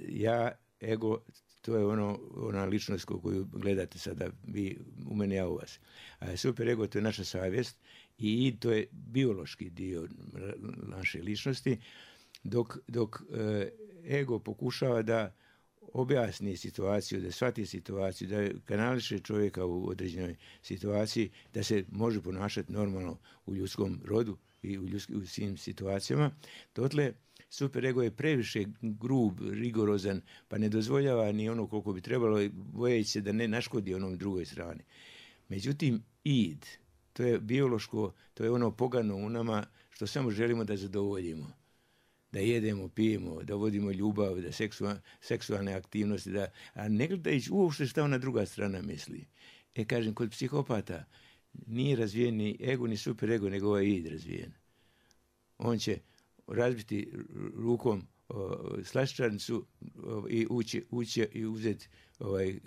Ja, ego, to je ona ličnost koju gledate sada, vi u mene, ja u vas. Superego to je naša savjest i id to je biološki dio naše ličnosti, dok ego pokušava da objasni situaciju, da shvati situaciju, da kanališe čovjeka u određenoj situaciji, da se može ponašati normalno u ljudskom rodu i u svim situacijama. Dotle superego je previše grub, rigorozan, pa ne dozvoljava ni ono koliko bi trebalo, bojeći se da ne naškodi onom drugoj strani. Međutim, id, to je biološko, to je ono pogano u nama što samo želimo da zadovoljimo. Da jedemo, pijemo, da vodimo ljubav, da seksualne aktivnosti, a ne gledajući uopšte šta ona druga strana misli. Kažem, kod psihopata nije razvijen ni ego, ni superego, nego ovaj id razvijen. On će razbiti rukom slaščarnicu i ući i uzeti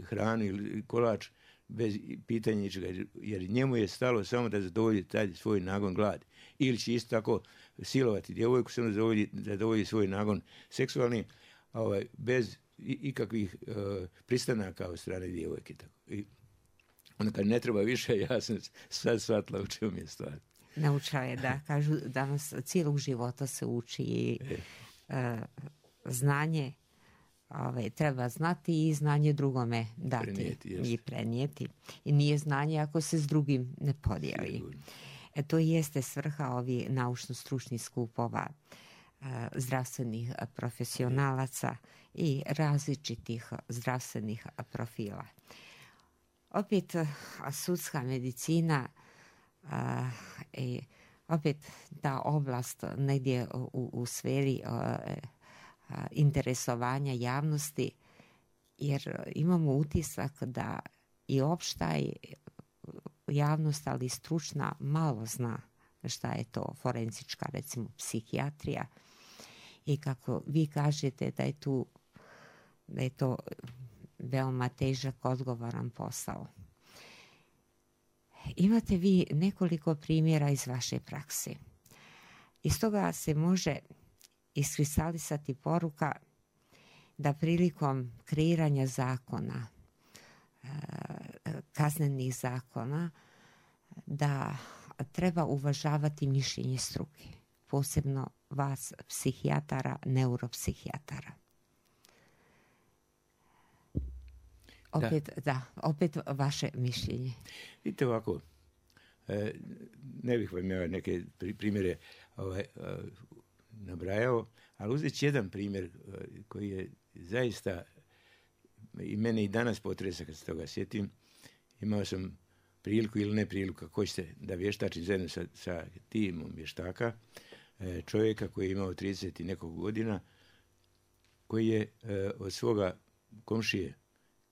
hranu ili kolač bez pitanja ničega, jer njemu je stalo samo da zadovolji taj svoj nagon gladi. Ili će isto tako silovati djevojku samo da zadovolji svoj nagon seksualni, bez ikakvih pristanaka od strane djevojke. I onda kad ne treba više, ja sam sad shvatila u čemu je stvar. Naučila je da kažu danas cijelog života se uči i znanje treba znati i znanje drugome dati i prenijeti. I nije znanje ako se s drugim ne podijeli. To jeste svrha ovih naučno-stručnih skupova zdravstvenih profesionalaca i različitih zdravstvenih profila. Opet sudska medicina i opet ta oblast negdje u sferi interesovanja javnosti, jer imamo utisak da i opšta javnost, ali i stručna, malo zna šta je to forenzička, recimo, psihijatrija, i kako vi kažete da je to veoma težak, odgovoran posao. Imate vi nekoliko primjera iz vaše prakse. Iz toga se može iskristalisati poruka da prilikom kreiranja zakona, kaznenih zakona, da treba uvažavati mišljenje struke, posebno vas psihijatara, neuropsihijatara. Opet vaše mišljenje. Vidite ovako, ne bih vam ja neke primjere nabrajao, ali uzet ću jedan primjer koji je zaista i mene i danas potresa kad se toga sjetim. Imao sam priliku ili ne priliku, kako hoćete, da vještačim zajedno sa timom vještaka čovjeka koji je imao 30 i nekog godina, koji je od svoga komšije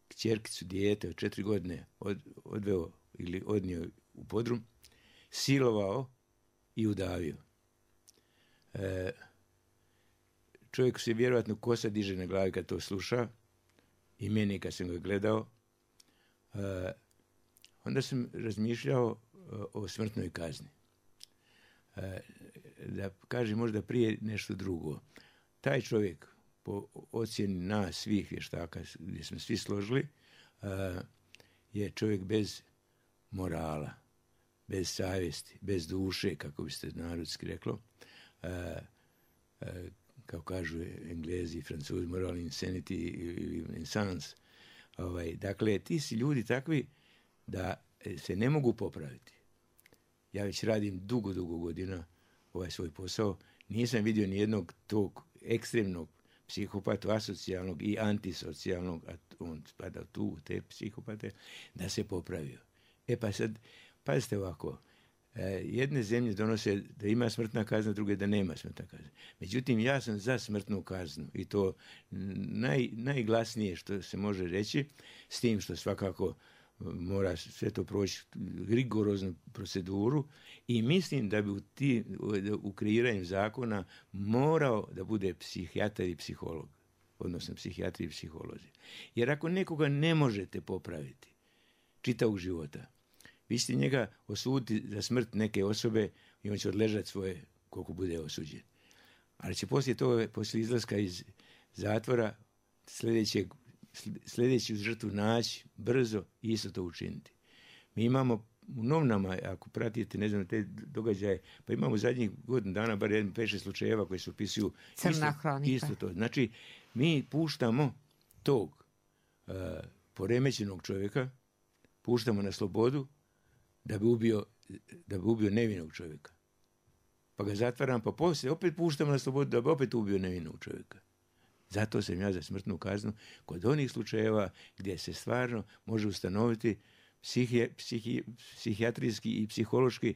kćerkicu, dijete od 4 godine odveo ili odnio u podrum, silovao i udavio. Čovjeku se vjerojatno kosa diže na glavi kad to sluša, i meni kad sam ga gledao. Onda sam razmišljao o smrtnoj kazni. Da kažem možda prije nešto drugo. Taj čovjek, po ocjeni nas svih vještaka, gdje smo svi složili, je čovjek bez morala, bez savjesti, bez duše, kako biste narodski reklo. Kao kažu Englezi i Francuzi, moral insanity ili insans. Dakle, ti si ljudi takvi da se ne mogu popraviti. Ja već radim dugo godina ovaj svoj posao. Nisam vidio ni jednog tog ekstremnog psihopata, asocijalnog i antisocijalnog, a on spada tu, te psihopate, da se popravio. Pa sad, pazite ovako, jedne zemlje donose da ima smrtna kazna, druge da nema smrtna kazna. Međutim, ja sam za smrtnu kaznu i to najglasnije što se može reći, s tim što svakako mora sve to proći rigoroznu proceduru i mislim da bi u kreiranju zakona morao da bude psihijatar i psiholog, odnosno psihijatri i psiholozi. Jer ako nekoga ne možete popraviti čitavog života, vi ćete njega osuditi za smrt neke osobe i on će odležati svoje koliko bude osuđen. Ali će poslije izlaska iz zatvora sljedeću žrtvu naći brzo i isto to učiniti. Mi imamo u novinama, ako pratite, ne znam, te događaje, pa imamo zadnjih godinu dana bar 5-6 slučajeva koji se opisuju isto to. Znači, mi puštamo tog poremećenog čovjeka, puštamo na slobodu da bi ubio nevinog čovjeka. Pa ga zatvaram, pa poslije opet puštamo na slobodu da bi opet ubio nevinog čovjeka. Zato sam ja za smrtnu kaznu kod onih slučajeva gdje se stvarno može ustanoviti psihijatrijski i psihološki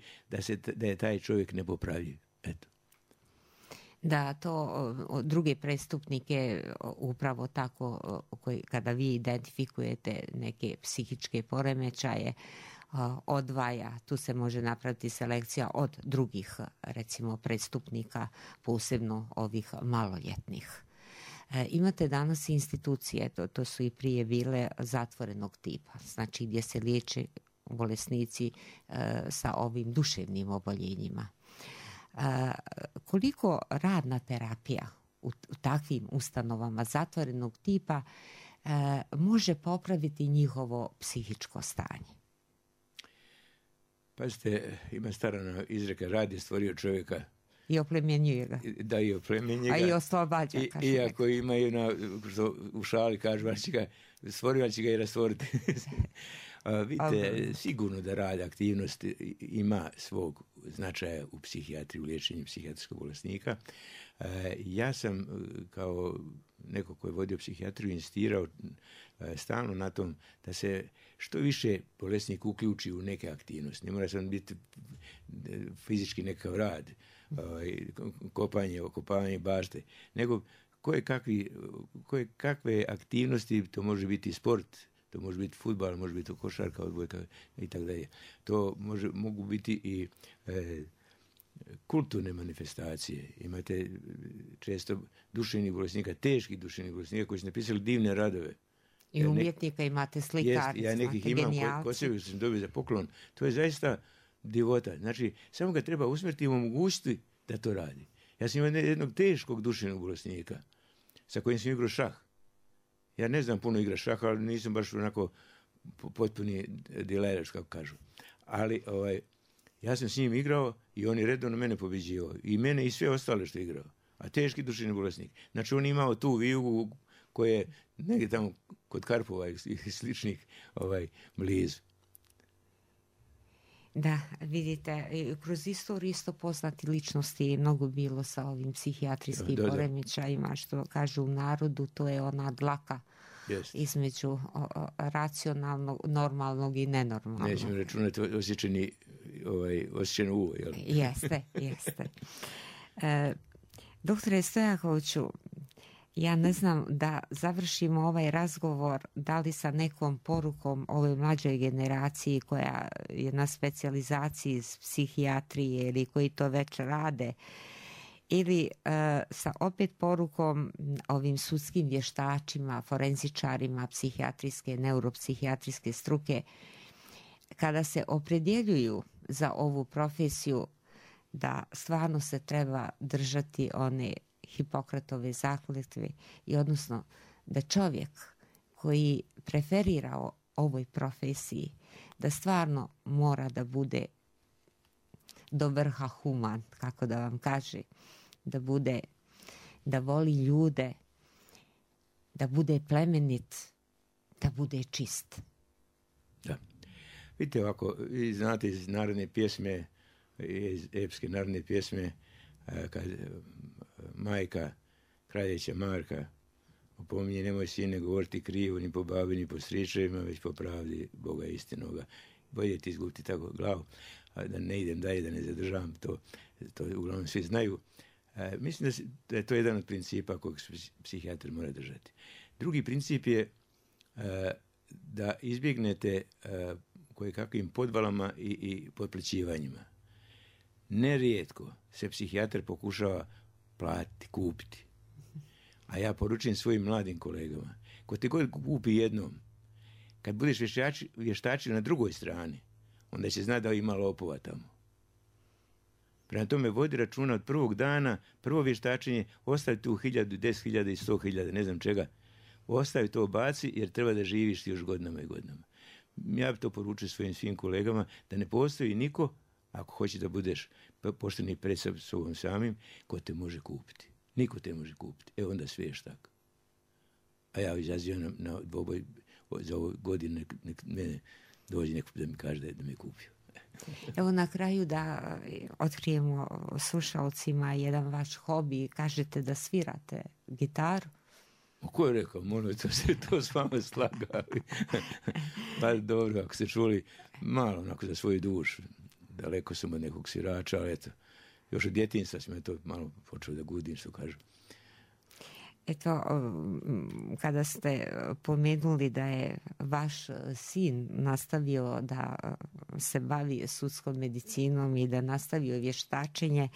da je taj čovjek nepopravljiv. Eto. Da, to druge prestupnike upravo tako, kada vi identifikujete neke psihičke poremećaje, odvaja, tu se može napraviti selekcija od drugih, recimo, prestupnika, posebno ovih maloljetnih. Imate danas institucije, to su i prije bile zatvorenog tipa, znači gdje se liječe bolesnici sa ovim duševnim oboljenjima. Koliko radna terapija u takvim ustanovama zatvorenog tipa može popraviti njihovo psihičko stanje? Pazite, ima stara izreka, rad je stvorio čovjeka. I oplemenjuje ga. Da, i oplemenjuje ga. A i oslobađa. Iako ima u šali, kažu, stvorio će ga i rastvoriti. Vidite, sigurno da rad, aktivnost ima svog značaja u psihijatriji, u liječenju psihijatrijskog bolesnika. Ja sam, kao neko ko je vodio psihijatriju, insistirao stalno na tom da se što više bolesnik uključi u neke aktivnosti. Ne mora sam biti fizički nekakav rad, kopanje bašte, nego koje kakve aktivnosti, to može biti sport, to može biti fudbal, može biti košarka, odbojka i tako dalje. To mogu biti i kulturne manifestacije. Imate često duševnih bolesnika, teških duševnih bolesnika koji su napisali divne radove. I umjetnika imate slikarstva, ja nekih imam kod sebe, sam dobio za poklon. To je zaista divota. Znači, samo ga treba usmjeriti i omogućiti da to radi. Ja sam imao jednog teškog duševnog bolesnika sa kojim sam igrao šah. Ja ne znam puno igra šaha, ali nisam baš onako potpuni dilerač, kako kažu. Ali ja sam s njim igrao i on je redovno mene pobjeđivao. I mene i sve ostale što je igrao. A teški duševni bolesnik. Znači, on je imao tu vijugu koja je negdje tamo kod Karpova i sličnih blizu. Da, vidite, kroz istoriju isto poznati ličnosti je mnogo bilo sa ovim psihijatrijskim poremećajima, što kažu u narodu, to je ona dlaka između racionalnog, normalnog i nenormalnog. Nećemo računati osjećeno uvo, jel? Jeste. Doktore Stojakoviću, ja ne znam da završimo ovaj razgovor da li sa nekom porukom ovoj mlađoj generaciji koja je na specijalizaciji iz psihijatrije ili koji to već rade, ili sa opet porukom ovim sudskim vještačima, forenzičarima psihijatrijske, neuropsihijatrijske struke, kada se opredjeljuju za ovu profesiju, da stvarno se treba držati one Hipokratove zakletve i odnosno da čovjek koji preferira ovoj profesiji, da stvarno mora da bude do vrha human, kako da vam kaže, da voli ljude, da bude plemenit, da bude čist. Da. Vidite ovako, vi znate iz narodne pjesme, iz epske narodne pjesme, kad majka kraljeća Marka opominje, nemoj sine govoriti krivo ni po babi ni po stričevima, već po pravdi Boga istinoga. Bolje ti izgubiti tako glavu, da ne idem dalje, da ne zadržavam to uglavnom svi znaju. Mislim da je to jedan od principa kojeg psihijatar mora držati. Drugi princip je da izbjegnete koje kakvim podvalama i potplaćivanjima. Nerijetko se psihijatar pokušava platiti, kupiti. A ja poručujem svojim mladim kolegama, ko te god kupi jednom, kad budeš vještačio na drugoj strani, onda će znati da ima lopova tamo. Prema tome, vodi računa od prvog dana, prvo vještačenje, ostavi tu 1000, 10.000 i 100.000, ne znam čega. Ostavi to, baci, jer treba da živiš još godinama i godinama. Ja bi to poručio svojim svim kolegama, da ne postoji niko, ako hoće da budeš pošteni pred sobom samim, ko te može kupiti. Niko te može kupiti. Evo onda sve ješ tako. A ja izazivam na dvoboj za ovoj godini, nek mene dođe neko da mi kaže da me kupio. Evo na kraju da otkrijemo slušalcima jedan vaš hobi. Kažete da svirate gitaru. Ko je rekao? Molim, to s vama slagali. Pa dobro, ako ste čuli, malo onako za svoju dušu. Daleko sam od nekog svirača, ali eto, još od djetinjstva sam to malo počeo da gudim, što kažu. Eto, kada ste pomenuli da je vaš sin nastavio da se bavi sudskom medicinom i da nastavio vještačenje,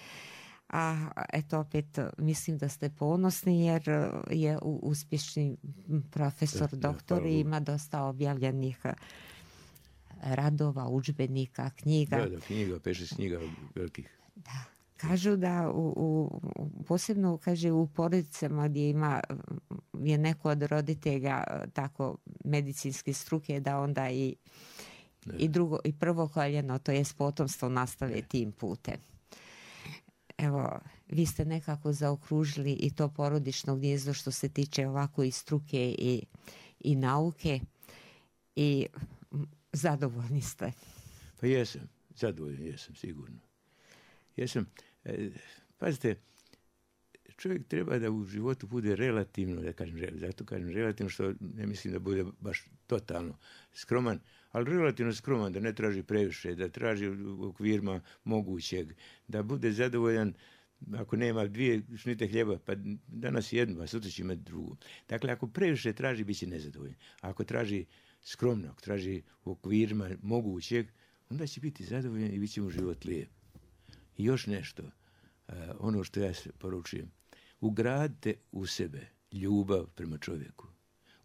a eto opet mislim da ste ponosni jer je uspješni profesor, doktor i ima dosta objavljenih radova, udžbenika, knjiga. Da, knjiga, 5-6 knjiga velikih. Da. Kažu da posebno kaže u porodicama gdje je neko od roditelja tako medicinske struke, da onda i drugo i prvo koljeno, to jest potomstvo, nastave tim putem. Evo, vi ste nekako zaokružili i to porodično gnijezdo što se tiče ovako i struke i nauke i zadovoljni ste. Pa jesam, zadovoljan jesam, sigurno. Jesam, pazite, čovjek treba da u životu bude relativno, zato kažem relativno, što ne mislim da bude baš totalno skroman, ali relativno skroman, da ne traži previše, da traži u okvirima mogućeg, da bude zadovoljan, ako nema 2 šnite hljeba, pa danas jednu, a sutra će imati drugu. Dakle, ako previše traži, bit će nezadovoljan. A ako traži skromno, ako traži u okvirima mogućeg, onda će biti zadovoljan i bit će mu život lijep. I još nešto, ono što ja poručujem, ugradite u sebe ljubav prema čovjeku.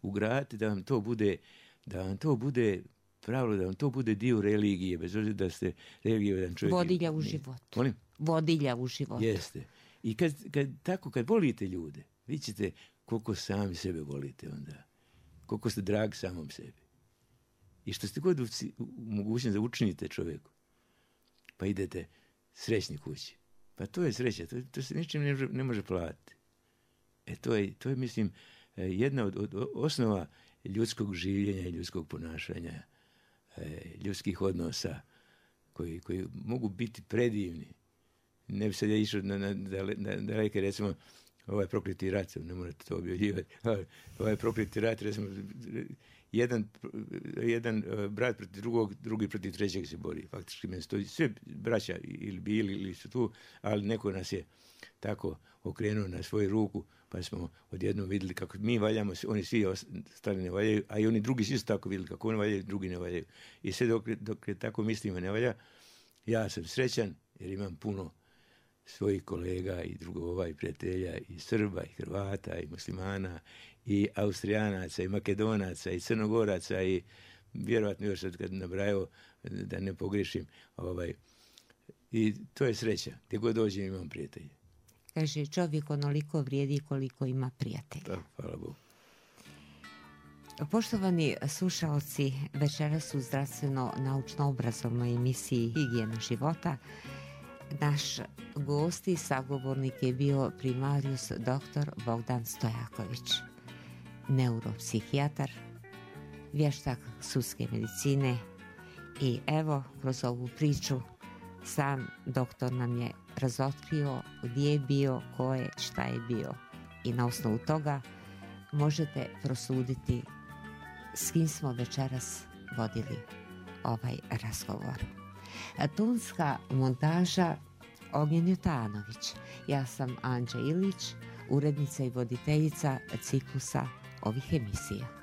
Ugradite da vam to bude pravilo, da vam to bude dio religije, bez obzira da ste religiovan čovjek. Vodilja u životu. Molim? Vodilja u životu. Jeste. I kad volite ljude, vi ćete koliko sami sebe volite onda. Koliko ste dragi samom sebi. I što ste god u mogućnosti da učinite čovjeku, pa idete srećni kući. Pa to je sreća, to se ničim ne može platiti. To je, mislim, jedna od osnova ljudskog življenja i ljudskog ponašanja, ljudskih odnosa, koji mogu biti predivni. Ne bi sad ja išao na daleke, recimo, ovaj prokleti rat, ne morate to objavljivati, ovaj prokleti rat, recimo, jedan brat protiv drugog, drugi protiv trećeg se bori. Faktički meni stoji sve braća ili bili ili su tu, ali neko nas je tako okrenuo na svoju ruku, pa smo odjednom vidjeli kako mi valjamo, oni svi ostali ne valjaju, a i oni drugi svi su tako vidjeli kako oni valjaju, drugi ne valjaju. I sve dok je tako mislimo ne valja, ja sam srećan jer imam puno svojih kolega i drugova i prijatelja i Srba i Hrvata i muslimana i Austrijanaca i Makedonaca i Crnogoraca i vjerojatno još sad kad nabrajao da ne pogrešim. I to je sreća. Gdje god dođem imam prijatelje. Kaže, čovjek onoliko vrijedi koliko ima prijatelja. Da, hvala Bogu. Poštovani slušalci, večeras u zdravstveno-naučno-obrazovnoj emisiji Higijena života naš gost i sagovornik je bio primarius dr. Bogdan Stojaković, neuropsihijatar, vještak sudske medicine i evo, kroz ovu priču sam doktor nam je razotkrio gdje je bio, ko je, šta je bio i na osnovu toga možete prosuditi s kim smo večeras vodili ovaj razgovor. Tonska montaža Ognjen Jutanović. Ja sam Anđa Ilić, urednica i voditeljica ciklusa ovih emisija.